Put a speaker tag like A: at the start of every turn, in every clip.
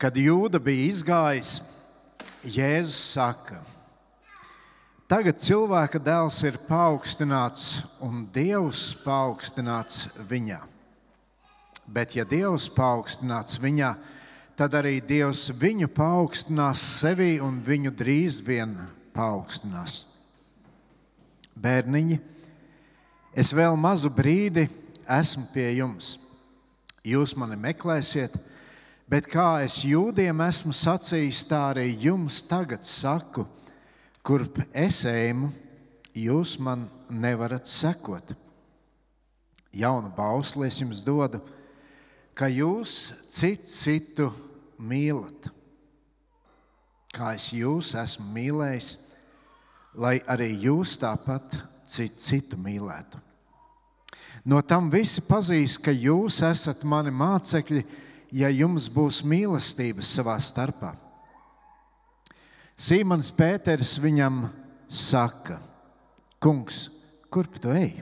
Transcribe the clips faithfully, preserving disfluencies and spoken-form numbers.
A: Kad Jūda bija izgājis, Jēzus saka: tagad cilvēka dēls ir paaugstināts un Dievs paaugstināts viņā. Bet ja Dievs paaugstināts viņā, tad arī Dievs viņu paaugstinās sevī un viņu drīz vien paaugstinās. Bērniņi, es vēl mazu brīdi esmu pie jums. Jūs mani meklēsiet, bet kā es jūdiem esmu sacījis, tā arī jums tagad saku, kurp es eju, jūs man nevarat sekot. Jaunu bausli es jums dodu, ka jūs cits citu mīlat. Kā es jūs esmu mīlējis, lai arī jūs tāpat cits citu mīlētu. No tam visi pazīs, ka jūs esat mani mācekļi, ja jums būs mīlestības savā starpā. Sīmons Pēteris viņam saka: Kungs, kurp tu ej?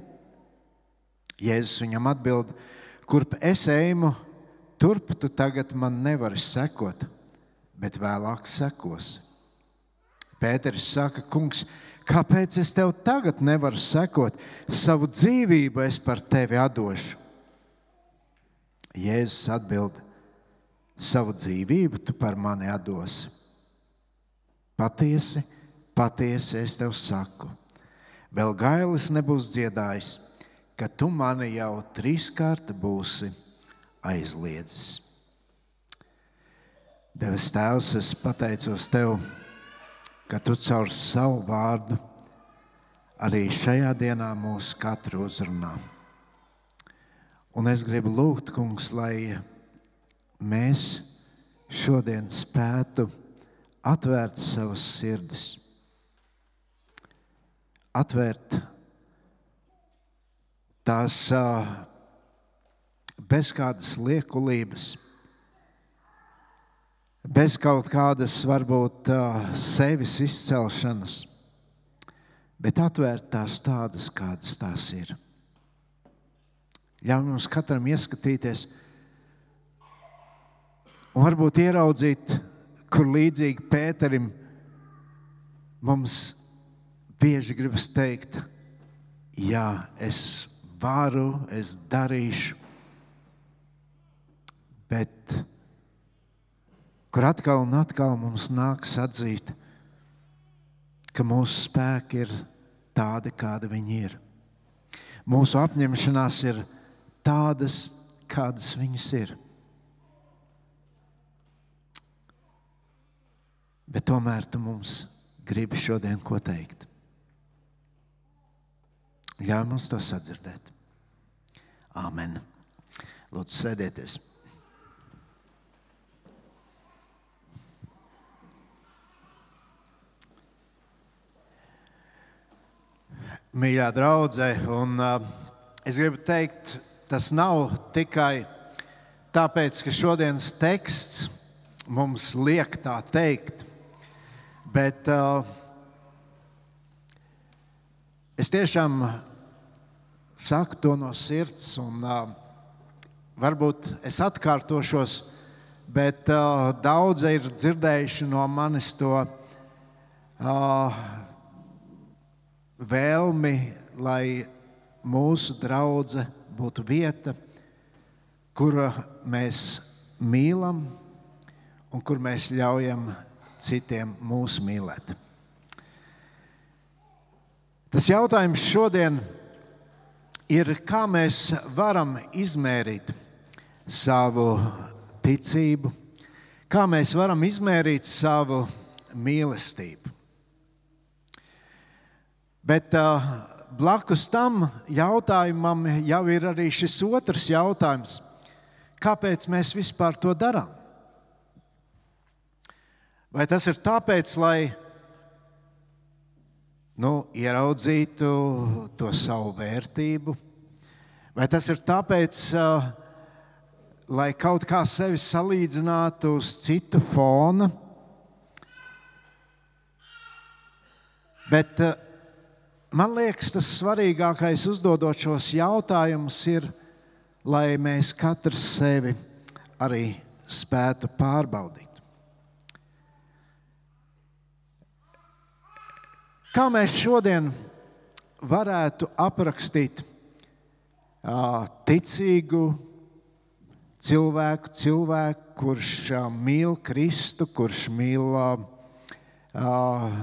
A: Jēzus viņam atbild: kurp es eju, turp tu tagad man nevari sekot, bet vēlāk sekosi. Pēteris saka: Kungs, kāpēc es tev tagad nevaru sekot? Savu dzīvību es par tevi atdošu. Jēzus atbild: savu dzīvību tu par mani atdosi. Patiesi, patiesi es tev saku, vēl gailis nebūs dziedājis, ka tu mani jau trīskārt būsi aizliedzis. Debes Tēvs, es pateicos tev, ka tu caur savu vārdu arī šajā dienā mūs katru uzrunā. Un es gribu lūgt, Kungs, lai mēs šodien spētu atvērt savas sirdis, atvērt tās bez kādas liekulības, bez kaut kādas varbūt sevis izcelšanas, bet atvērt tās tādas, kādas tās ir. Ļauj mums katram ieskatīties un varbūt ieraudzīt, kur līdzīgi Pēterim mums bieži gribas teikt: jā, es varu, es darīšu, bet kur atkal un atkal mums nāks atzīt, ka mūsu spēki ir tādi, kādi viņi ir. Mūsu apņemšanās ir tādas, kādas viņas ir. Bet tomēr tu mums gribi šodien ko teikt. Ļauj mums to sadzirdēt. Āmen. Lūdzu, sēdieties. Mīļā draudze, un uh, es gribu teikt, tas nav tikai tāpēc, ka šodienas teksts mums liek tā teikt, bet uh, es tiešām saku to no sirds, un uh, varbūt es atkārtošos, bet uh, daudzi ir dzirdējuši no manis to uh, vēlmi, lai mūsu draudze būtu vieta, kura mēs mīlam un kur mēs ļaujam citiem mūs mīlēt. Tas jautājums šodien ir, kā mēs varam izmērīt savu ticību, kā mēs varam izmērīt savu mīlestību. Bet uh, blakus tam jautājumam jau ir arī šis otrs jautājums. Kāpēc mēs vispār to darām? Vai tas ir tāpēc, lai nu, ieraudzītu to savu vērtību? Vai tas ir tāpēc, uh, lai kaut kā sevi salīdzinātu uz citu fona? Bet uh, man liekas, tas svarīgākais uzdodot šos jautājumus ir, lai mēs katrs sevi arī spētu pārbaudīt. Kā mēs šodien varētu aprakstīt uh, ticīgu cilvēku, cilvēku, kurš uh, mīl Kristu, kurš mīl uh, uh,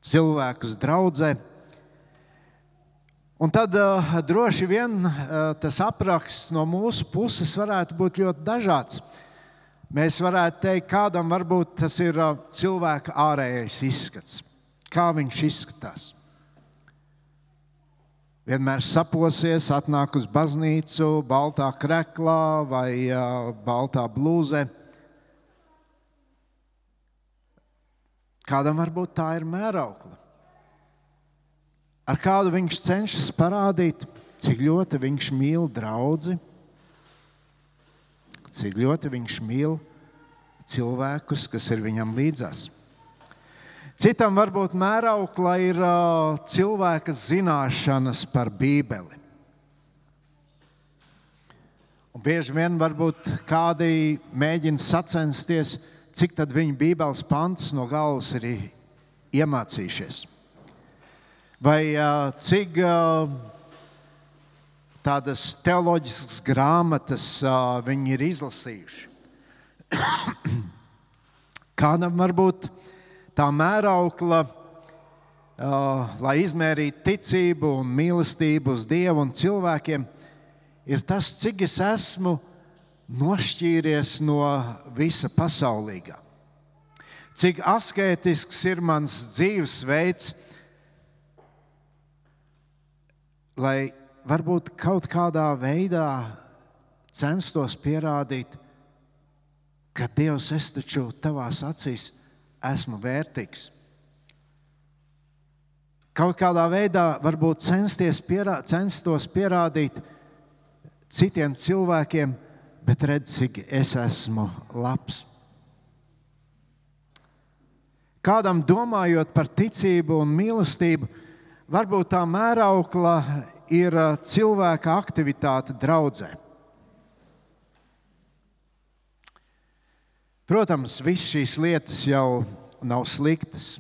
A: cilvēkus draudzē? Un tad uh, droši vien uh, tas apraksts no mūsu puses varētu būt ļoti dažāds. Mēs varētu teikt, kādam varbūt tas ir uh, cilvēka ārējais izskats. Kā viņš izskatās? Vienmēr saposies, atnāk uz baznīcu, baltā kreklā vai uh, baltā blūzē. Kādam varbūt tā ir mēraukla. Ar kādu viņš cenšas parādīt, cik ļoti viņš mīl draudzi, cik ļoti viņš mīl cilvēkus, kas ir viņam līdzās. Citam varbūt mēraukla ir uh, cilvēka zināšanas par Bībeli. Un bieži vien varbūt kādi mēģina sacensties, cik tad viņi Bībeles pantus no galvas ir iemācījušies. Vai uh, cik uh, tādas teoloģiskas grāmatas uh, viņi ir izlasījuši. Kādam varbūt tā mēraukla, uh, lai izmērītu ticību un mīlestību uz Dievu un cilvēkiem, ir tas, cik es esmu nošķīries no visa pasaulīgā. Cik askētisks ir mans dzīvesveids, lai varbūt kaut kādā veidā censtos pierādīt, ka Dievs, es taču tavās acīs esmu vērtīgs. Kaut kādā veidā varbūt censties pierā, censtos pierādīt citiem cilvēkiem, bet redz, cik es esmu labs. Kādam domājot par ticību un mīlestību, varbūt tā mēraukla ir cilvēka aktivitāte draudzē. Protams, visas šīs lietas jau nav sliktas,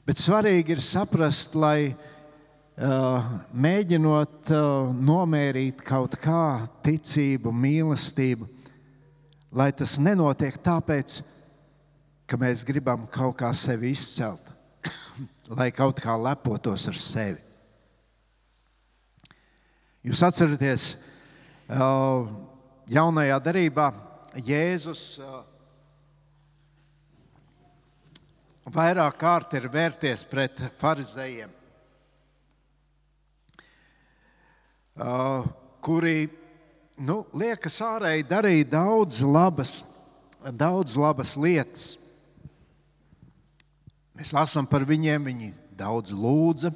A: bet svarīgi ir saprast, lai uh, mēģinot uh, nomērīt kaut kā ticību, mīlestību, lai tas nenotiek tāpēc, ka mēs gribam kaut kā sevi izcelt, lai kaut kā lepotos ar sevi. Jūs atceraties, uh, jaunajā derībā Jēzus uh, vairāk kārt ir vērties pret farizējiem, uh, kuri, nu, liekas ārēji darīja daudz labas, daudz labas lietas. Mēs lasām par viņiem, viņi daudz lūdza,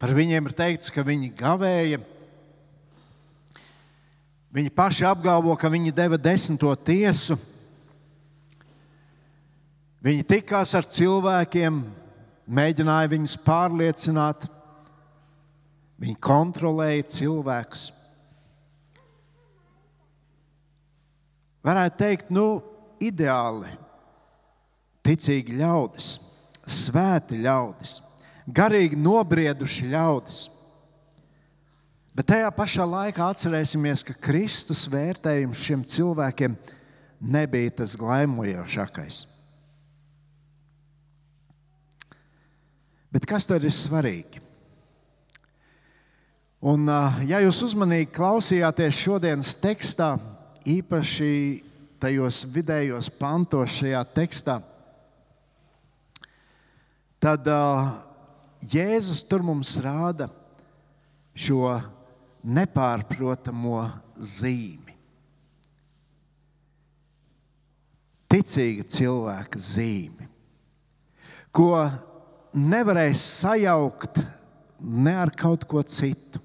A: par viņiem ir teikts, ka viņi gavēja. Viņi paši apgalvo, ka viņi deva desmito tiesu. Viņi tikās ar cilvēkiem, mēģināja viņus pārliecināt. Viņi kontrolēja cilvēkus. Varētu teikt, nu, ideāli ticīgi ļaudis, svēti ļaudis, garīgi nobrieduši ļaudis. Bet tajā pašā laikā atcerēsimies, ka Kristus vērtējums šiem cilvēkiem nebija tas glaimojošākais. Bet kas tad ir svarīgi? Un, ja jūs uzmanīgi klausījāties šodienas tekstā, īpaši tajos vidējos pantos šajā tekstā, tad uh, Jēzus tur mums rāda šo nepārprotamo zīmi. Ticīga cilvēka zīmi, ko nevarēs sajaukt ne ar kaut ko citu.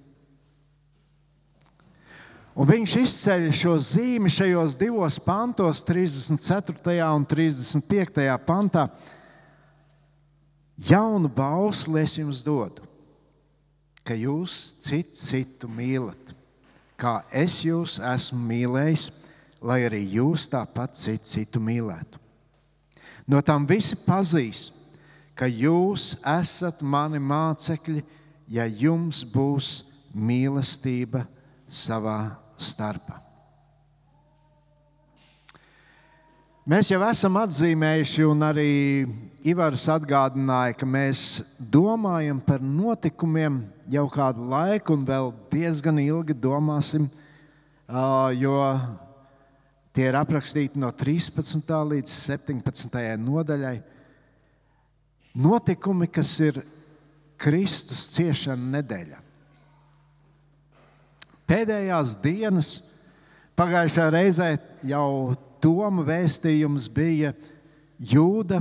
A: Un viņš izceļ šo zīmi šajos divos pantos, trīsdesmit ceturtajā un trīsdesmit piektajā pantā. Jaunu bausli es jums dodu, ka jūs citu citu mīlat, kā es jūs esmu mīlējis, lai arī jūs tāpat citu citu mīlētu. No tam visi pazīs, ka jūs esat mani mācekļi, ja jums būs mīlestība savā starpā. Mēs jau esam atzīmējuši, un arī Ivars atgādināja, ka mēs domājam par notikumiem jau kādu laiku un vēl diezgan ilgi domāsim, jo tie ir aprakstīti no trīspadsmitā līdz septiņpadsmitajai nodaļai. Notikumi, kas ir Kristus ciešana nedēļa. Pēdējās dienas, pagājušajā reizē jau Toma vēstījums bija Jūda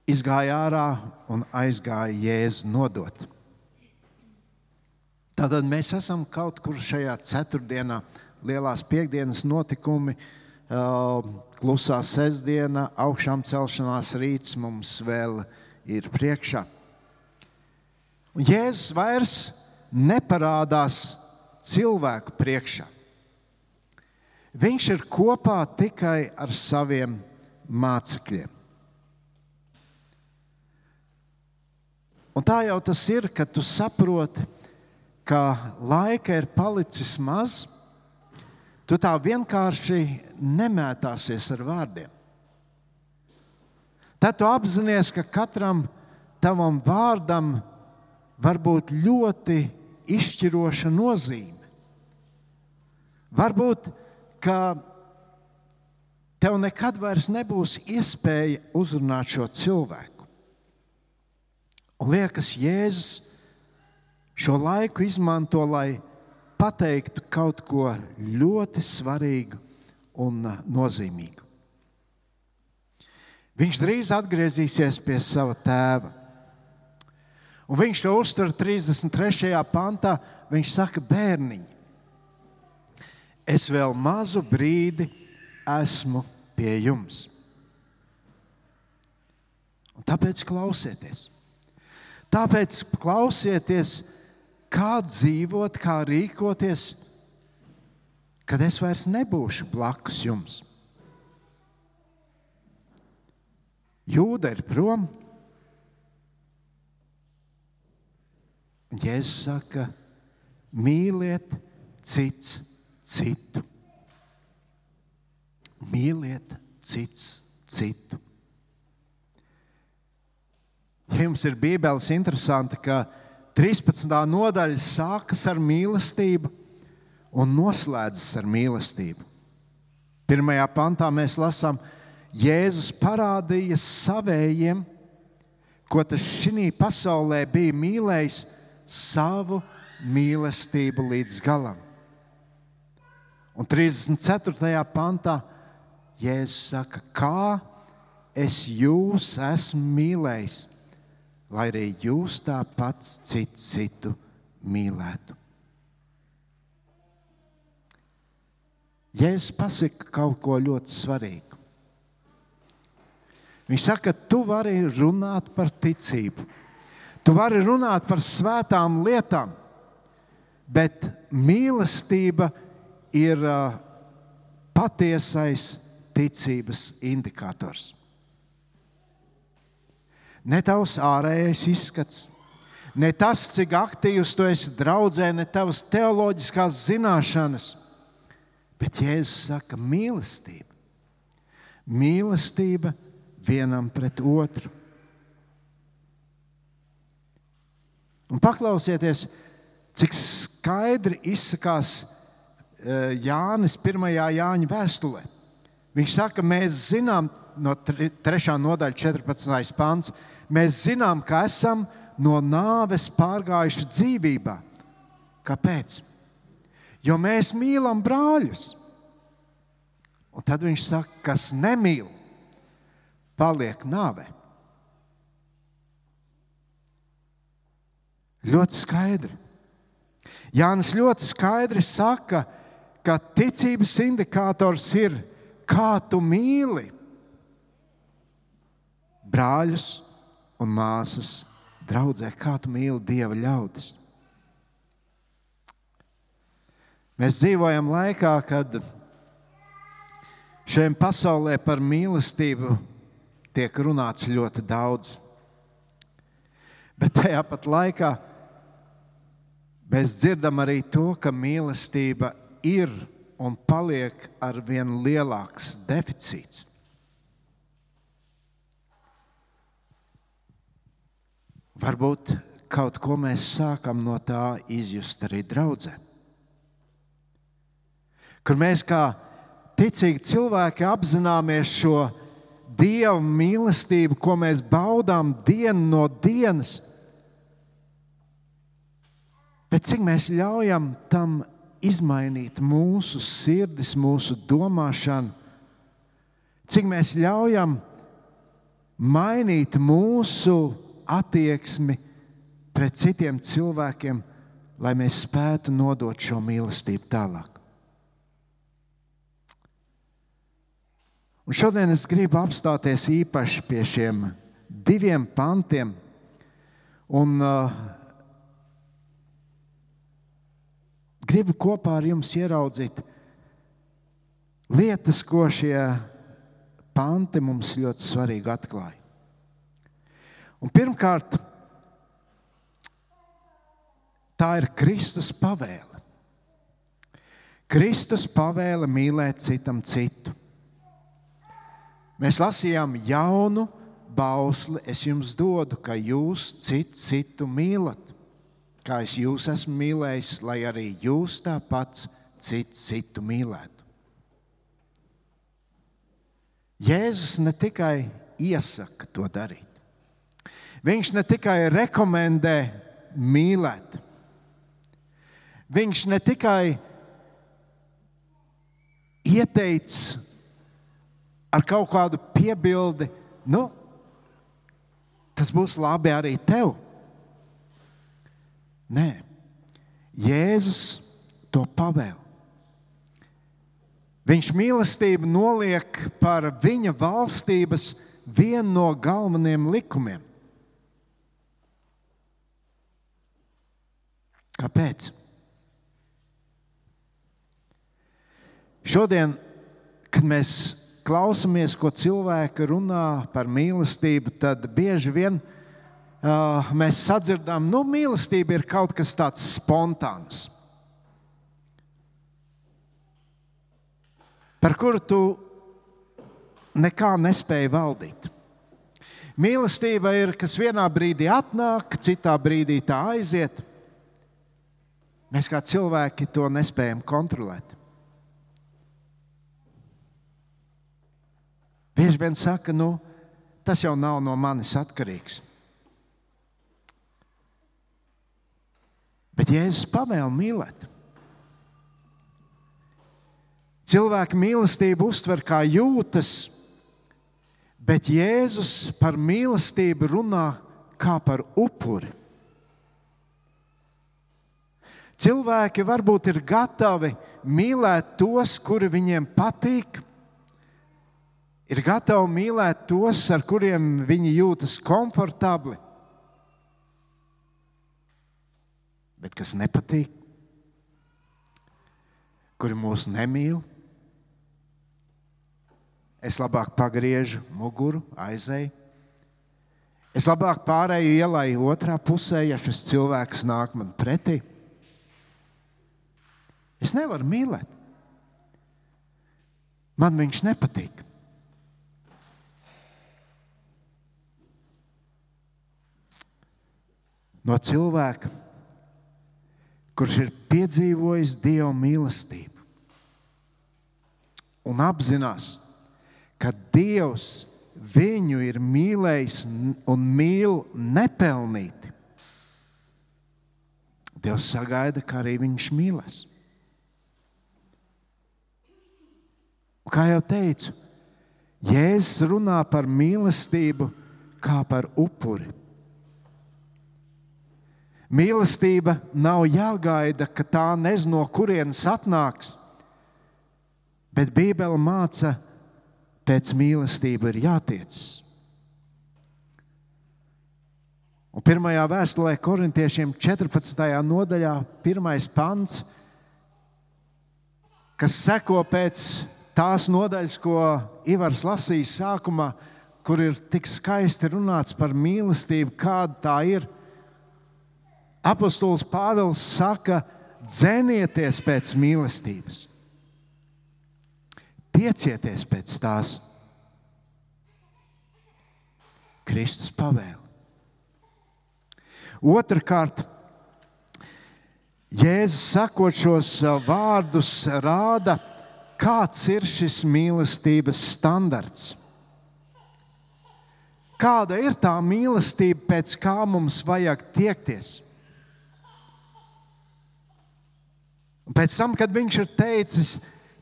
A: izgāja ārā un aizgāja Jēzu nodot. Tātad mēs esam kaut kur šajā ceturtdienā, lielās piekdienas notikumi, klusā sestdiena, augšām celšanās rīts mums vēl ir priekšā. Un Jēzus vairs neparādās cilvēku priekšā. Viņš ir kopā tikai ar saviem mācekļiem. Un tā jau tas ir, kad tu saproti, ka laika ir palicis maz, tu tā vienkārši nemētāsies ar vārdiem. Tad tu apzinies, ka katram tavam vārdam var būt ļoti izšķiroša nozīme. Varbūt, ka tev nekad vairs nebūs iespēja uzrunāt šo cilvēku. Un liekas, Jēzus šo laiku izmanto, lai pateiktu kaut ko ļoti svarīgu un nozīmīgu. Viņš drīz atgriezīsies pie sava tēva. Un viņš to uztver trīsdesmit trešajā pantā. Viņš saka, bērniņi, es vēl mazu brīdi esmu pie jums. Un tāpēc klausieties. Tāpēc klausieties, kā dzīvot, kā rīkoties, kad es vairs nebūšu blakus jums. Jūda ir prom. Un Jēzus saka, mīliet cits citu. Mīliet cits citu. Ja jums ir Bībeles interesanti, ka trīspadsmitā nodaļa sākas ar mīlestību un noslēdzas ar mīlestību. Pirmajā pantā mēs lasām, Jēzus parādīja savējiem, ko tas šī pasaulē bija mīlējis, savu mīlestību līdz galam. Un trīsdesmit ceturtajā pantā Jēzus saka, kā es jūs esmu mīlējis, lai arī jūs tāpat citu citu mīlētu. Jēzus pasaka kaut ko ļoti svarīgu. Viņš saka, tu vari runāt par ticību, tu vari runāt par svētām lietām, bet mīlestība ir uh, patiesais ticības indikators. Ne tavs ārējais izskats, ne tas, cik aktīvs tu esi draudzē, ne tavas teoloģiskās zināšanas, bet Jēzus saka mīlestība. Mīlestība vienam pret otru. Un paklausieties, cik skaidri izsakās Jānis pirmajā Jāņa vēstulē. Viņš saka, mēs zinām, no trešā nodaļa četrpadsmitais pants, mēs zinām, ka esam no nāves pārgājuši dzīvībā. Kāpēc? Jo mēs mīlam brāļus. Un tad viņš saka, kas nemīl, paliek nāvē. Ļoti skaidri. Jānis ļoti skaidri saka, ka ticības indikators ir, kā tu mīli brāļus un māsas draudzē, kā tu mīli Dieva ļaudis. Mēs dzīvojam laikā, kad šajā pasaulē par mīlestību tiek runāts ļoti daudz. Bet tajā pat laikā mēs dzirdam arī to, ka mīlestība ir un paliek ar vien lielāks deficīts. Varbūt kaut ko mēs sākam no tā izjust arī draudzē. Kur mēs kā ticīgi cilvēki apzināmies šo Dieva mīlestību, ko mēs baudām dienu no dienas, bet cik mēs ļaujam tam izmainīt mūsu sirdis, mūsu domāšanu, cik mēs ļaujam mainīt mūsu attieksmi pret citiem cilvēkiem, lai mēs spētu nodot šo mīlestību tālāk. Un šodien es gribu apstāties īpaši pie šiem diviem pantiem un uh, gribu kopā ar jums ieraudzīt lietas, ko šie panti mums ļoti svarīgi atklāja. Un pirmkārt, tā ir Kristus pavēle. Kristus pavēle mīlēt citam citu. Mēs lasījām jaunu bausli, es jums dodu, ka jūs citu citu mīlat. Kā es jūs esmu mīlējis, lai arī jūs tāpat citu citu mīlētu. Jēzus ne tikai iesaka to darīt. Viņš ne tikai rekomendē mīlēt. Viņš ne tikai ieteica ar kaut kādu piebildi, nu, tas būs labi arī tev. Nē, Jēzus to pavēl. Viņš mīlestību noliek par viņa valstības vienu no galvenajiem likumiem. Kāpēc? Šodien, kad mēs klausamies, ko cilvēki runā par mīlestību, tad bieži vien uh, mēs sadzirdam, nu, mīlestība ir kaut kas tāds spontāns, par kuru tu nekā nespēji valdīt. Mīlestība ir, kas vienā brīdī atnāk, citā brīdī tā aiziet. Mēs kā cilvēki to nespējam kontrolēt. Bieži vien saka, nu, tas jau nav no manis atkarīgs. Bet Jēzus pavēl mīlēt. Cilvēki mīlestību uztver kā jūtas, bet Jēzus par mīlestību runā kā par upuri. Cilvēki varbūt ir gatavi mīlēt tos, kuri viņiem patīk, ir gatavi mīlēt tos, ar kuriem viņi jūtas komfortabli. Bet kas nepatīk, kuri mūs nemīl, es labāk pagriežu muguru, aizēju. Es labāk pārēju ielai otrā pusē, ja šis cilvēks nāk man pretī. Es nevaru mīlēt. Man viņš nepatīk. No cilvēka, kurš ir piedzīvojis Dieva mīlestību un apzinās, ka Dievs viņu ir mīlējis un mīl nepelnīti. Dievs sagaida, ka arī viņš mīlēs. Un kā jau teicu, Jēzus runā par mīlestību kā par upuri. Mīlestība nav jāgaida, ka tā nezinu, no kurienes atnāks, bet Bībele māca, pēc mīlestība ir jātiecas. Un pirmajā vēstulē korintiešiem četrpadsmitajā nodaļā, pirmais pants, kas seko pēc tās nodaļas, ko Ivars lasīja sākumā, kur ir tik skaisti runāts par mīlestību, kāda tā ir. Apostols Pāvils saka, dzenieties pēc mīlestības. Tiecieties pēc tās. Kristus pavēle. Otrakārt, Jēzus sakot šos vārdus rāda, kāds ir šis mīlestības standarts. Kāda ir tā mīlestība, pēc kā mums vajag tiekties? Un pēc tam, kad viņš ir teicis,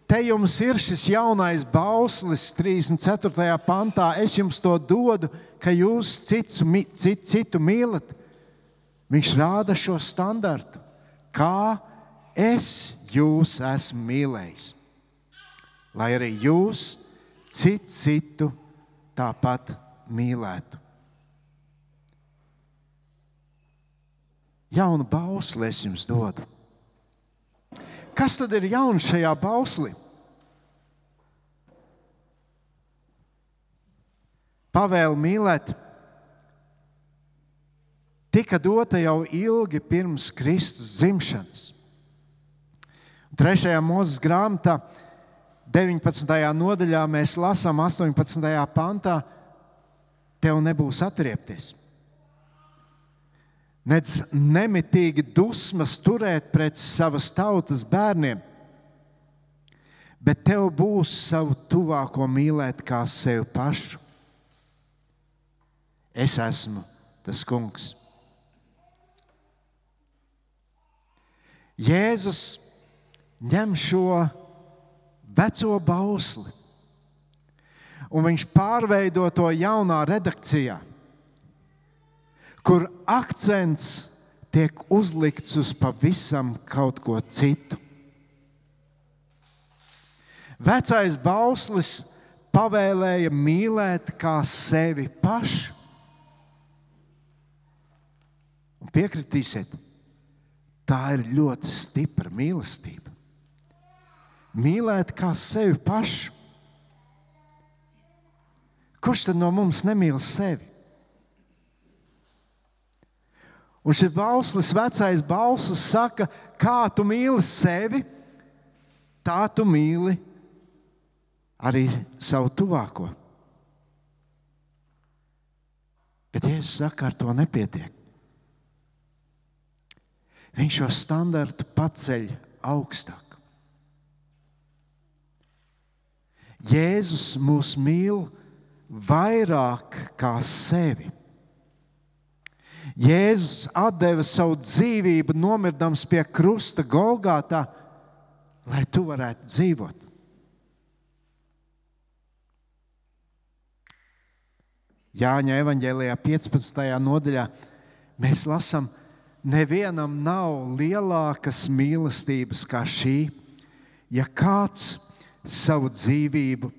A: te jums ir šis jaunais bauslis, trīsdesmit ceturtajā pantā, es jums to dodu, ka jūs citu, citu, citu mīlat. Viņš rāda šo standartu, kā es jūs esmu mīlējis. Lai arī jūs citu, citu tāpat mīlētu. Jaunu bausli es jums dodu. Kas tad ir jauns šajā bauslī? Pavēle mīlēt tika dota jau ilgi pirms Kristus dzimšanas. Trešajā Mūzes grāmatā, deviņpadsmitajā nodaļā, mēs lasām astoņpadsmitajā pantā, tev nebūs atriepties. Nec nemitīgi dusmas turēt pret savas tautas bērniem, bet tev būs savu tuvāko mīlēt kā sevi pašu. Es esmu tas kungs. Jēzus ņem šo veco bausli un viņš pārveido to jaunā redakcijā, kur akcents tiek uzlikts uz pavisam kaut ko citu. Vecais bauslis pavēlēja mīlēt kā sevi pašu. Un piekritīsiet, tā ir ļoti stipra mīlestība. Mīlēt kā sevi pašu. Kurš tad no mums nemīl sevi? Un šis bauslis, vecais bauslis saka, kā tu mīli sevi, tā tu mīli arī savu tuvāko. Bet Jēzus saka, ar to nepietiek. Viņš šo standartu paceļ augstāk. Jēzus mūs mīl vairāk kā sevi. Jēzus atdeva savu dzīvību, nomirdams pie krusta Golgātā, lai tu varētu dzīvot. Jāņa evaņģēlijā piecpadsmitajā nodaļā mēs lasām, nevienam nav lielākas mīlestības kā šī, ja kāds savu dzīvību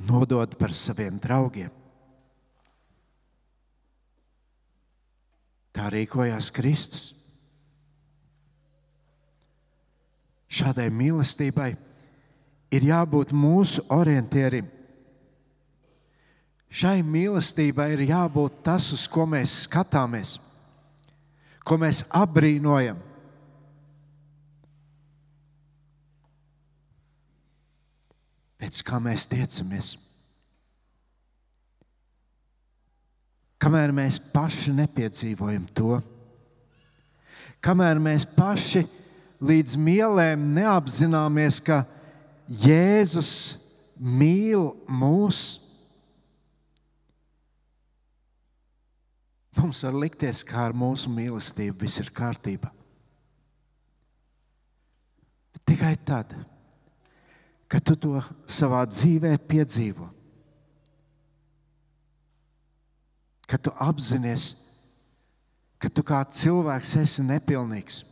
A: nodod par saviem draugiem. Tā rīkojās Kristus. Šādai mīlestībai ir jābūt mūsu orientierim. Šai mīlestībai ir jābūt tas, uz ko mēs skatāmies, ko mēs apbrīnojam. Pēc kā mēs tiecamies. Kamēr mēs paši nepiedzīvojam to, kamēr mēs paši līdz mielēm neapzināmies, ka Jēzus mīl mūs, mums var likties, kā ar mūsu mīlestību viss ir kārtībā. Bet tikai tad, kad tu to savā dzīvē piedzīvo, kad tu apzinies, ka tu kā cilvēks esi nepilnīgs,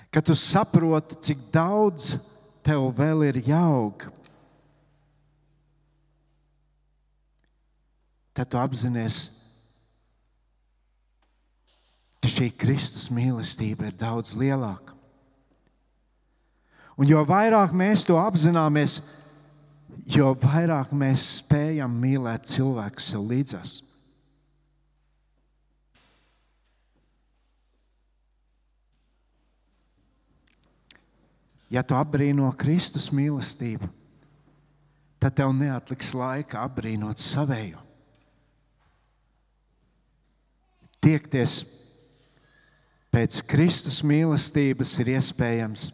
A: kad tu saproti, cik daudz tev vēl ir jāaug, tad tu apzinies, ka šī Kristus mīlestība ir daudz lielāka. Un jo vairāk mēs to apzināmies, jo vairāk mēs spējam mīlēt cilvēku sev līdzās. Ja tu apbrīno Kristus mīlestību, tad tev neatliks laika apbrīnot savējo. Tiekties pēc Kristus mīlestības ir iespējams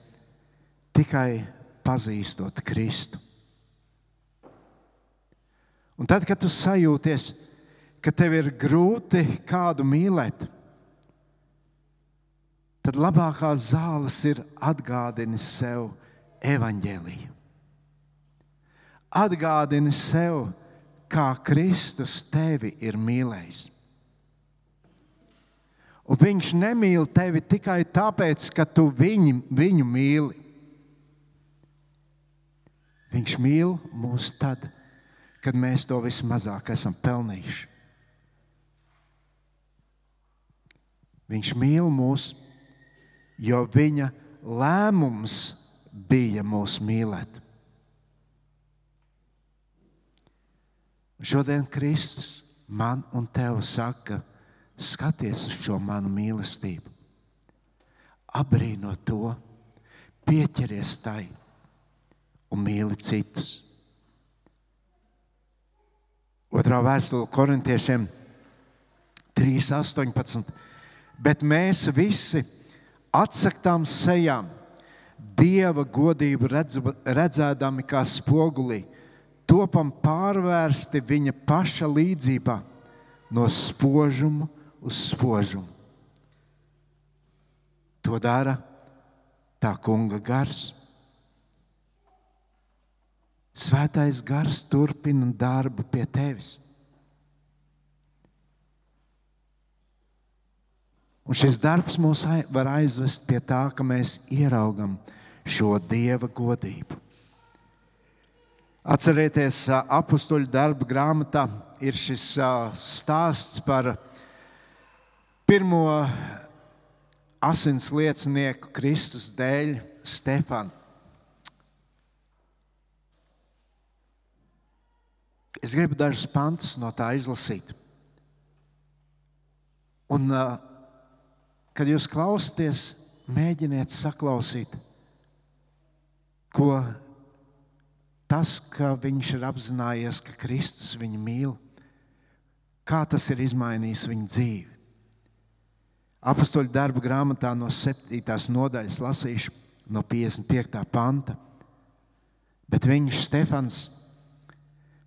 A: tikai pazīstot Kristu. Un tad, kad tu sajūties, ka tev ir grūti kādu mīlēt, tad labākās zāles ir atgādini sev evaņģēliju. Atgādini sev, kā Kristus tevi ir mīlējis. Un viņš nemīl tevi tikai tāpēc, ka tu viņu, viņu mīli. Viņš mīl mūs tad, kad mēs to vismazāk esam pelnījuši. Viņš mīl mūs, jo viņa lēmums bija mūs mīlēt. Šodien Kristus man un tev saka, skaties uz šo manu mīlestību, apbrīno to, pieķeries tai un mīli citus. Otrā vēstule Korintiešiem trīs astoņpadsmit. Bet mēs visi atsaktām sejām, Dieva godību redzēdami kā spogulī, topam pārvērsti viņa paša līdzībā no spožuma uz spožumu. To dara tā kunga gars. Svētais gars turpina darbu pie tevis. Un šis darbs mūs var aizvest pie tā, ka mēs ieraugam šo Dieva godību. Atcerieties, apustuļu darbu grāmatā ir šis stāsts par pirmo asins liecinieku Kristus dēļ, Stefanu. Es gribu dažus pantus no tā izlasīt. Un, kad jūs klausāties, mēģiniet saklausīt, ko tas, ka viņš ir apzinājies, ka Kristus viņu mīl, kā tas ir izmainījis viņa dzīvi. Apustuļu darbu grāmatā no septītās nodaļas lasīšu no piecdesmit piektā panta. Bet viņš, Stefans,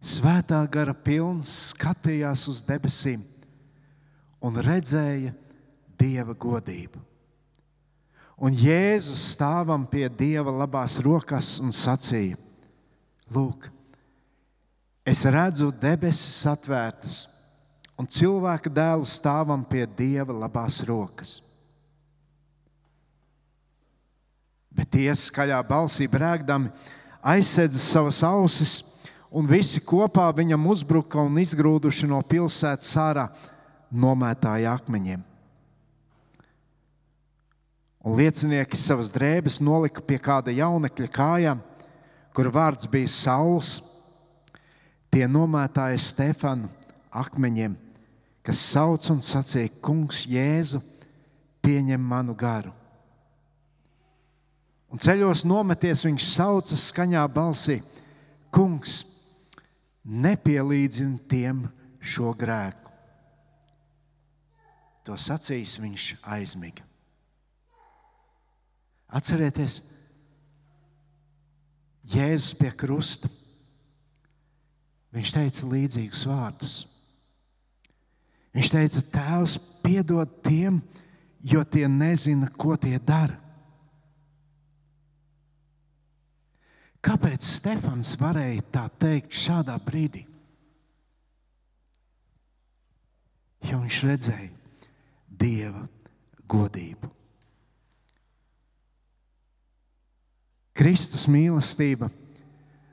A: svētā gara pilns, skatījās uz debesīm un redzēja Dieva godību. Un Jēzus stāvam pie Dieva labās rokas un sacīja: Lūk, es redzu debesis atvērtas un cilvēka dēlu stāvam pie Dieva labās rokas. Bet tie skaļā balsī brēkdami aizsedza savas ausis, un visi kopā viņam uzbruka un izgrūduši no pilsētas ārā nomētāja akmeņiem. Un liecinieki savas drēbes nolika pie kāda jaunekļa kājām, kur vārds bija Sauls. Tie nomētāja Stefanu akmeņiem, kas sauc un sacīja: Kungs, Jēzu, pieņem manu garu. Un ceļos nometies viņš sauca skaņā balsī: Kungs, nepielīdzini tiem šo grēku. To sacījis viņš aizmiga. Atcerieties, Jēzus pie krusta, viņš teica līdzīgus vārdus. Viņš teica: Tēvs, piedod tiem, jo tie nezina, ko tie dara. Kāpēc Stefans varēja tā teikt šādā brīdī? Jo viņš redzēja Dieva godību. Kristus mīlestība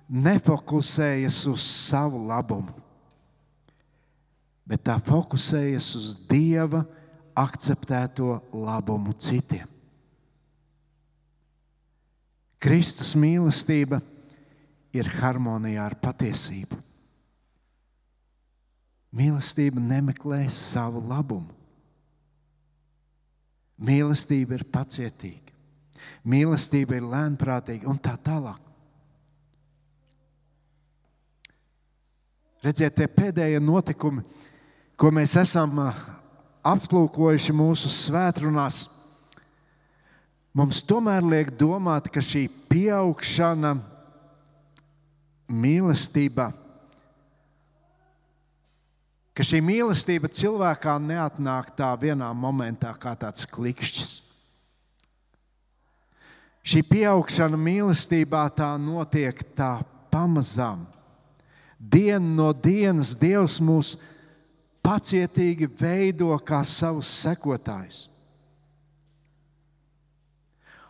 A: nefokusējas uz savu labumu, bet tā fokusējas uz Dieva akceptēto labumu citiem. Kristus mīlestība ir harmonijā ar patiesību. Mīlestība nemeklē savu labumu. Mīlestība ir pacietīga. Mīlestība ir lēnprātīga un tā tālāk. Redziet, tie pēdējie notikumi, ko mēs esam aplūkojuši mūsu svētrunās, mums tomēr liek domāt, ka šī pieaugšana mīlestībā, ka šī mīlestība cilvēkā neatnāk tā vienā momentā kā tāds klikšķis. Šī pieaugšana mīlestībā tā notiek tā pamazām. Dienu no dienas Dievs mūs pacietīgi veido kā savus sekotājus.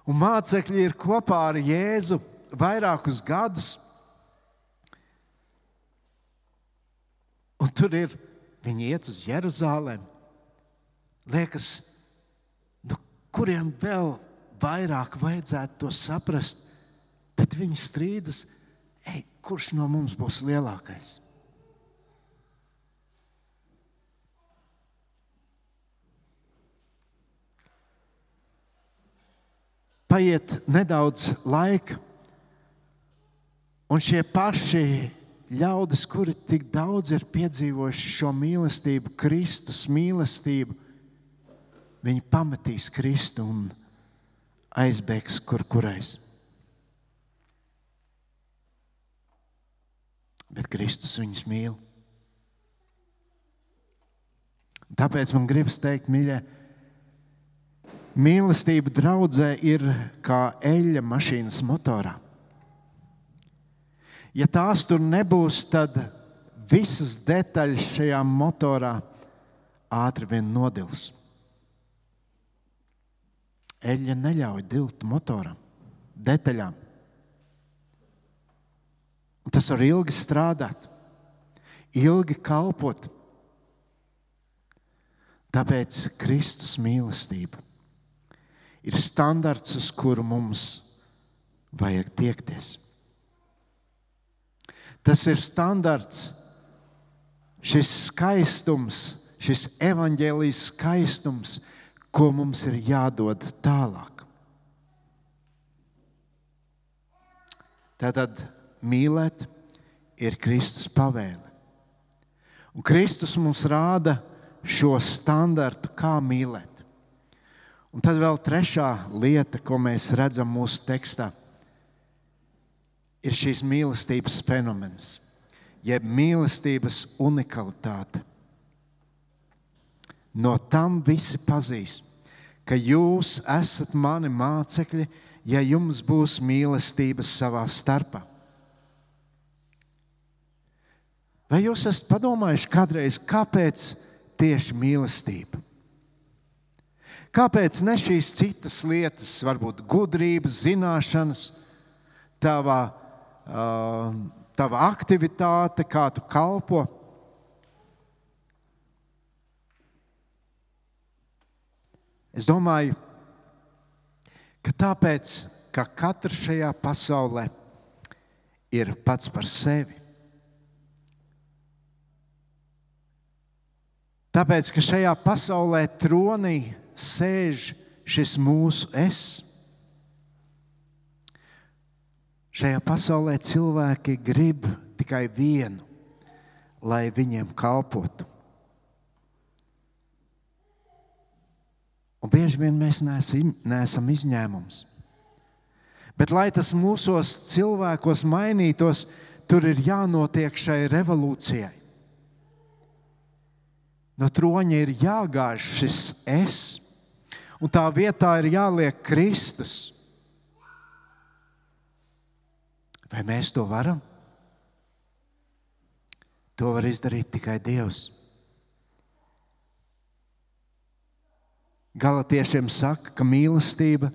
A: Un mācekļi ir kopā ar Jēzu vairākus gadus. Un tur ir, viņi iet uz Jeruzalemi. Liekas, nu, kuriem vēl vairāk vajadzētu to saprast, bet viņi strīdas, ej, kurš no mums būs lielākais? Paiet nedaudz laika, un šie paši ļaudis, kuri tik daudz ir piedzīvojuši šo mīlestību, Kristus mīlestību, viņi pametīs Kristu un aizbēgs kur kurais. Bet Kristus viņus mīl. Tāpēc man gribas teikt, mīļie, mīlestība draudzē ir kā eļļa mašīnas motorā. Ja tās tur nebūs, tad visas detaļas šajā motorā ātri vien nodils. Eļļa neļauj dilt motoram, detaļām. Un tas var ilgi strādāt, ilgi kalpot. Tāpēc Kristus mīlestība ir standarts, uz kuru mums vajag tiekties. Tas ir standarts, šis skaistums, šis evaņģēlijas skaistums, ko mums ir jādod tālāk. Tātad mīlēt ir Kristus pavēle. Un Kristus mums rāda šo standartu, kā mīlēt. Un tad vēl trešā lieta, ko mēs redzam mūsu tekstā, ir šīs mīlestības fenomens, jeb mīlestības unikalitāte. No tam visi pazīs, ka jūs esat mani mācekļi, ja jums būs mīlestības savā starpā. Vai jūs esat padomājuši kādreiz, kāpēc tieši mīlestība? Kāpēc ne šīs citas lietas, varbūt gudrības, zināšanas, tava, uh, tava aktivitāte, kā tu kalpo? Es domāju, ka tāpēc, ka katrs šajā pasaulē ir pats par sevi. Tāpēc, ka šajā pasaulē tronī sēž šis mūsu es. Šajā pasaulē cilvēki grib tikai vienu, lai viņiem kalpotu. Un bieži vien mēs neesam, neesam izņēmums. Bet, lai tas mūsos cilvēkos mainītos, tur ir jānotiek šai revolūcijai. No troņa ir jāgāž šis es, un tā vietā ir jāliek Kristus. Vai mēs to varam? To var izdarīt tikai Dievs. Galatiešiem saka, ka mīlestība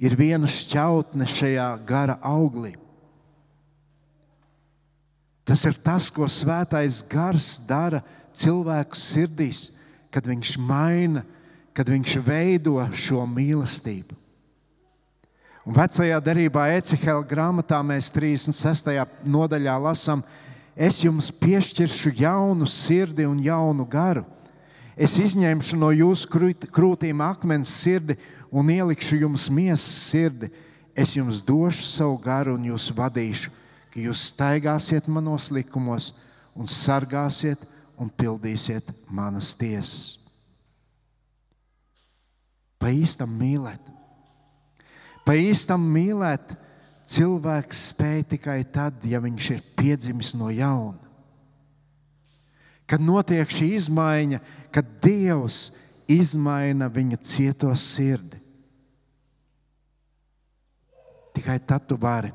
A: ir viena šķautne šajā gara auglī. Tas ir tas, ko svētais gars dara cilvēku sirdīs, kad viņš maina, kad viņš veido šo mīlestību. Un vecajā derībā Ecehela grāmatā mēs trīsdesmit sestajā nodaļā lasām: es jums piešķiršu jaunu sirdi un jaunu garu. Es izņemšu no jūsu krūtīm akmens sirdi un ielikšu jums miesas sirdi. Es jums došu savu garu un jūs vadīšu, ka jūs staigāsiet manos likumos un sargāsiet un pildīsiet manas tiesas. Pa īstam mīlēt. Pa īstam mīlēt cilvēks spēj tikai tad, ja viņš ir piedzimis no jauna. Kad notiek šī izmaiņa, kad Dievs izmaina viņa cieto sirdi. Tikai tad tu vari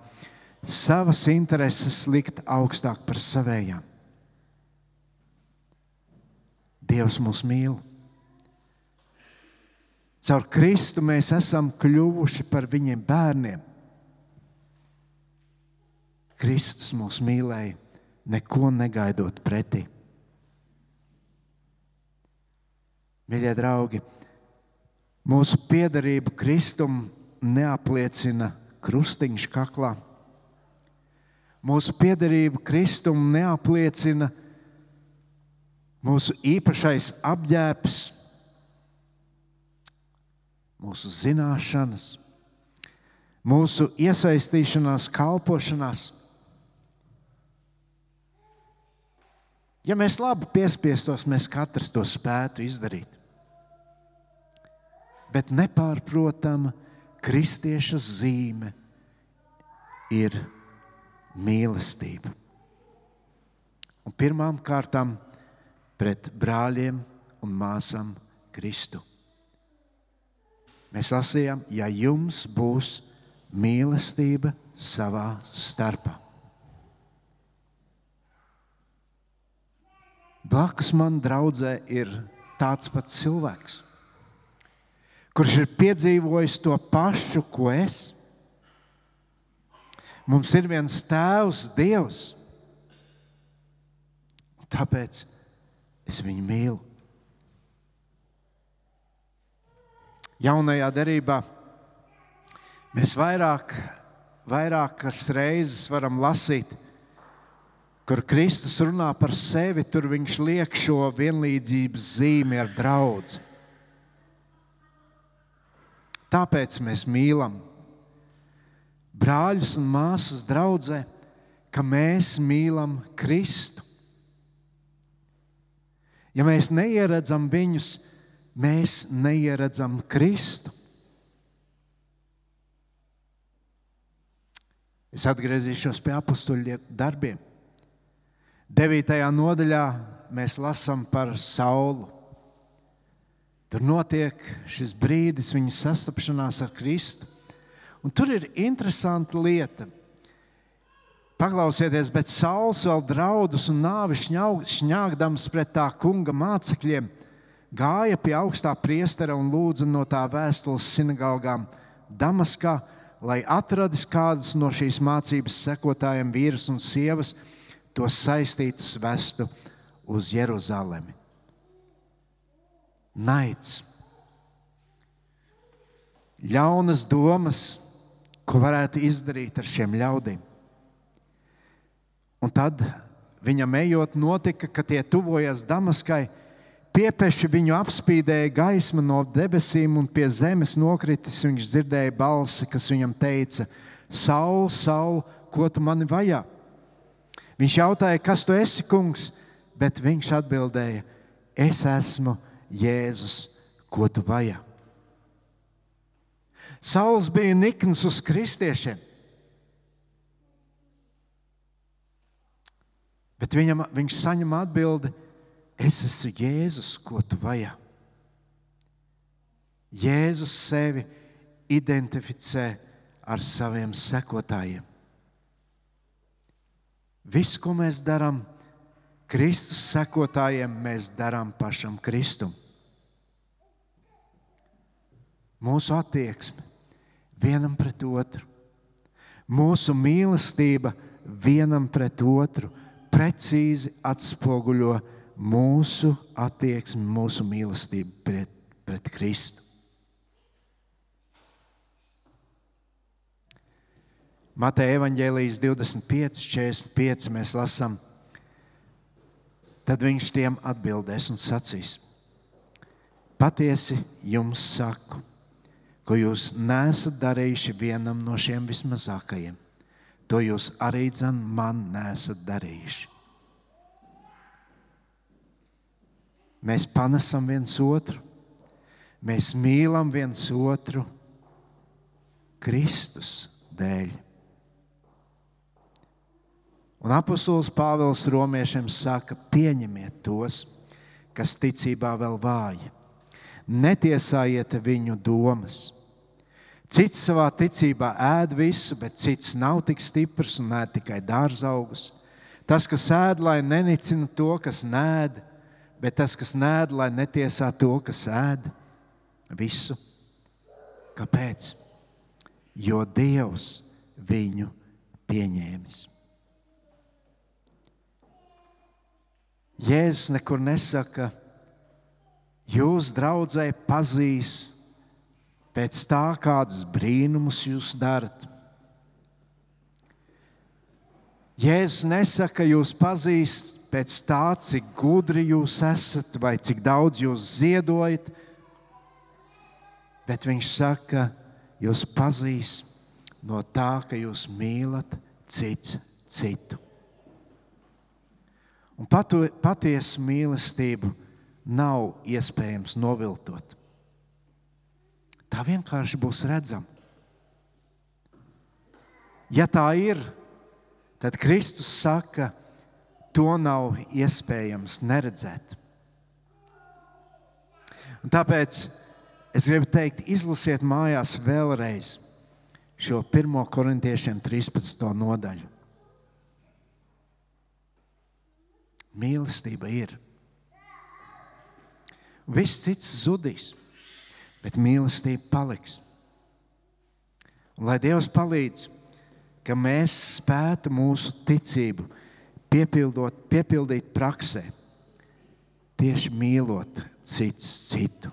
A: savas intereses likt augstāk par savējām. Dievs mūs mīl. Caur Kristu mēs esam kļuvuši par viņiem bērniem. Kristus mūs mīlēja, neko negaidot pretī. Mīļie draugi, mūsu piederību Kristum neapliecina krustiņš kaklā. Mūsu piederību Kristum neapliecina mūsu īpašais apģērbs, mūsu zināšanas, mūsu iesaistīšanās kalpošanās. Ja mēs labi piespiestos, mēs katrs to spētu izdarīt. Bet nepārprotama kristieša zīme ir mīlestība. Un pirmām kārtām pret brāļiem un māsām Kristu. Mēs lasījām, ja jums būs mīlestība savā starpā. Blakus man draudzē ir tāds pats cilvēks, kurš ir piedzīvojis to pašu, ko es. Mums ir viens Tēvs, Dievs. Tāpēc es viņu mīlu. Jaunajā derībā mēs vairāk, vairākas reizes varam lasīt, kur Kristus runā par sevi, tur viņš liek šo vienlīdzības zīmi ar draudzi. Tāpēc mēs mīlam brāļus un māsas draudzē, ka mēs mīlam Kristu. Ja mēs neieredzam viņus, mēs neieredzam Kristu. Es atgriezīšos pie apostoļu darbiem. devītajā nodaļā mēs lasām par Saulu. Tur notiek šis brīdis viņa sastapšanās ar Kristu. Un tur ir interesanta lieta. Paklausieties, bet Sauls vēl draudus un nāvi šņāgdams pret tā kunga mācekļiem gāja pie augstā priestera un lūdza no tā vēstules sinagogām Damaskā, lai atradis kādus no šīs mācības sekotājiem vīrus un sievas, tos saistītus vestu uz Jeruzalemi. Naids. Ļaunas domas, ko varētu izdarīt ar šiem ļaudīm. Un tad viņam ejot notika, ka tie tuvojas Damaskai, piepeši viņu apspīdēja gaisma no debesīm un pie zemes nokritis viņš dzirdēja balsi, kas viņam teica: Saul, Saul, ko tu mani vajā? Viņš jautāja, kas tu esi, kungs, bet viņš atbildēja: es esmu Jēzus, ko tu vajā. Sauls bija nikns uz kristiešiem, bet viņam, viņš saņem atbildi: es esmu Jēzus, ko tu vajā. Jēzus sevi identificē ar saviem sekotājiem. Viss, ko mēs darām Kristus sekotājiem, mēs darām pašam Kristum. Mūsu attieksme vienam pret otru, mūsu mīlestība vienam pret otru precīzi atspoguļo mūsu attieksmi, mūsu mīlestību pret, pret Kristu. Mateja evaņģēlijas divdesmit pieci, četrdesmit pieci mēs lasām. Tad viņš tiem atbildēs un sacīs: patiesi jums saku, ko jūs neesat darījuši vienam no šiem vismazākajiem, to jūs arī dzen man neesat darījuši. Mēs panesam viens otru, mēs mīlam viens otru Kristus dēļ. Un apostols Pāvils romiešiem saka: pieņemiet tos, kas ticībā vēl vāji. Netiesājiet viņu domas. Cits savā ticībā ēd visu, bet cits nav tik stiprs un ēd tikai dārzaugus. Tas, kas ēd, lai nenicina to, kas nēd, bet tas, kas nēd, lai netiesā to, kas ēd visu. Kāpēc? Jo Dievs viņu pieņēmis. Jēzus nekur nesaka: jūs, draudzē, pazīs pēc tā, kādus brīnumus jūs darat. Jēzus nesaka, jūs pazīst pēc tā, cik gudri jūs esat vai cik daudz jūs ziedojat, bet viņš saka, jūs pazīst no tā, ka jūs mīlat cits citu. Un patu, patiesu mīlestību nav iespējams noviltot. Tā vienkārši būs redzama. Ja tā ir, tad Kristus saka, to nav iespējams neredzēt. Un tāpēc es gribu teikt, izlasiet mājās vēlreiz šo pirmo korintiešiem trīspadsmito nodaļu. Mīlestība ir. Viss cits zudīs, bet mīlestība paliks. Un lai Dievs palīdz, ka mēs spētu mūsu ticību piepildot, piepildīt praksē, tieši mīlot cits citu.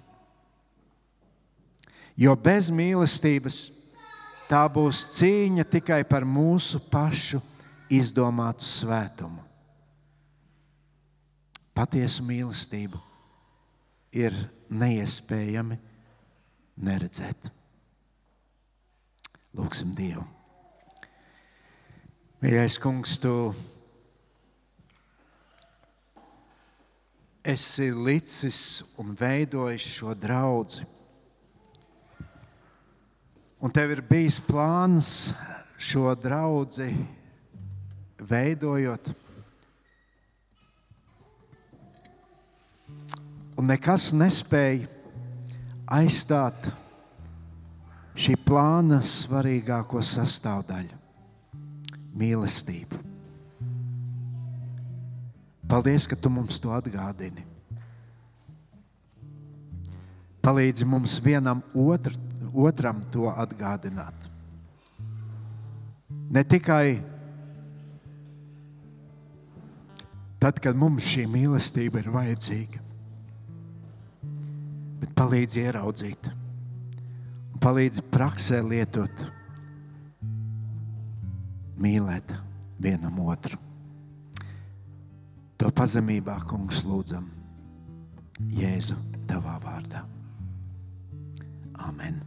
A: Jo bez mīlestības tā būs cīņa tikai par mūsu pašu izdomātu svētumu. Patiesu mīlestību ir neiespējami neredzēt. Lūksim Dievu. Mīļais Kungs, Tu esi licis un veidojis šo draudzi. Un Tev ir bijis plāns šo draudzi veidojot. Un nekas nespēja aizstāt šī plāna svarīgāko sastāvdaļu – mīlestību. Paldies, ka Tu mums to atgādini. Palīdzi mums vienam otru, otram to atgādināt. Ne tikai tad, kad mums šī mīlestība ir vajadzīga, bet palīdzi ieraudzīt un palīdzi praksē lietot, mīlēt vienam otru. To pazemībā, Kungs, lūdzam Jēzu Tavā vārdā. Amen.